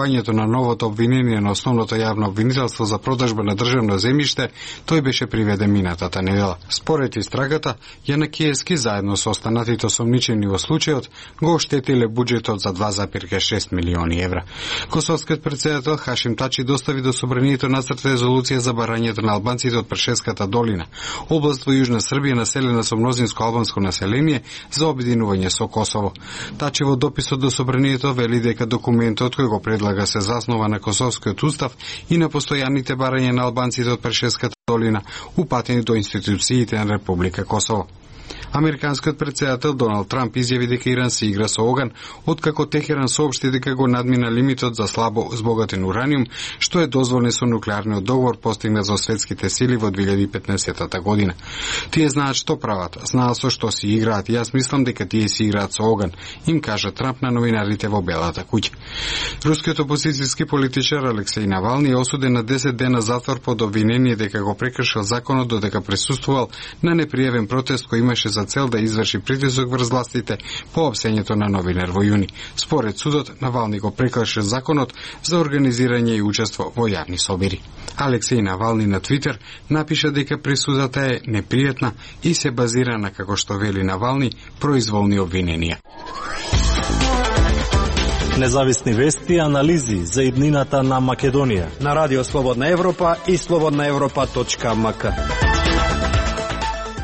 објавувањето на новото обвинение на основното јавно обвинителство за продажба на државно земјиште, тој беше приведен минатата недела. Според истрагата, Јанакиевски заедно со останатите осомничени во случајот го оштетиле буџетот за 2,6 милиони евра. Косовскиот претседател Хашим Тачи достави до собранието нацрт резолуција за барањето на албанците од Прешевската долина, област во Јужна Србија населена со мнозинско албанско население, за обединување со Косово. Тачи во дописот до собранието вели дека документот кој го предлага се заснова на Косовскиот устав и на постојаните барања на албанците од Прешевската долина, упатени до институциите на Република Косово. Американскиот претседател Доналд Трамп изјави дека Иран се игра со оган, откако Техеран соопшти дека го надмина лимитот за слабо збогатен ураниум, што е дозволен со нуклеарниот договор постигнат за светските сили во 2015 година. Тие знаат што прават, знаат со што си играат и јас мислам дека тие си играат со оган, им кажа Трамп на новинарите во Белата куќа. Рускиот опозицијски политичар Алексеј Навални е осуден на 10 дена затвор под обвинение дека го прекршил законот додека присуствувал на непријавен протест кој имаше за цел да изврши притисок врз властите по опсењето на новинар во јуни. Според судот, Навални го прекршил законот за организирање и учество во јавни собири. Алексеј Навални на Твитер напиша дека присудата е непријатна и се базира на, како што вели Навални, произволни обвиненија. Независни вести и анализи за иднината на Македонија на Радио Слободна Европа и slobodnaevropa.mk.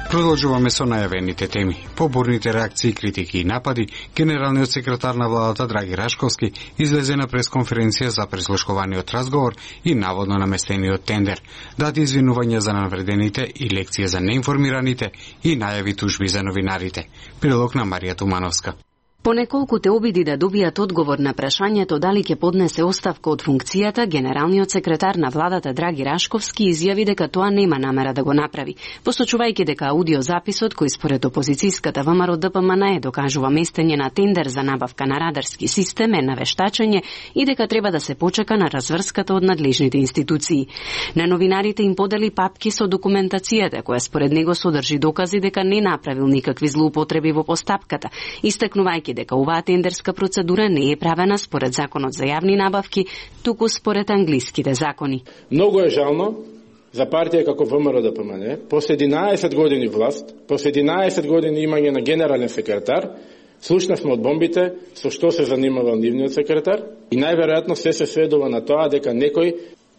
Продолжуваме со најавените теми. По бурните реакции, критики и напади, генералниот секретар на владата Драги Рашковски излезе на пресконференција за прислушкуваниот разговор и наводно наместениот тендер, даде извинувања за навредените и лекција за неинформираните и најави тужби за новинарите. Прилог на Марија Тумановска. По неколкуте обиди да добијат одговор на прашањето дали ќе поднесе оставка од функцијата, генералниот секретар на владата Драги Рашковски изјави дека тоа нема намера да го направи, посочувајќи дека аудиозаписот кој според опозицијската ВМРО ДПМН докажува местење на тендер за набавка на радарски систем е навештачење и дека треба да се почека на разврската од надлежните институции. На новинарите им подели папки со документацијата која според него содржи докази дека не направил никакви злоупотреби во постапката, истакнувајќи дека оваа тендерска процедура не е правена според законот за јавни набавки, туку според англиските закони. Многу е жално за партија како ВМРО ДПМН, после 11 години власт, после 11 години имање на генерален секретар, слушнавме од бомбите со што се занимавал нивниот секретар и најверојатно се сведува на тоа дека некој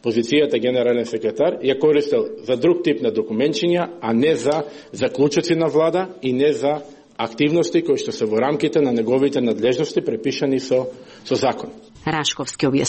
позицијата генерален секретар ја користел за друг тип на документчиња, а не за заклучоци на влада и не за активности кои што се во рамките на неговите надлежности препишани со закон. Рашковски објаснува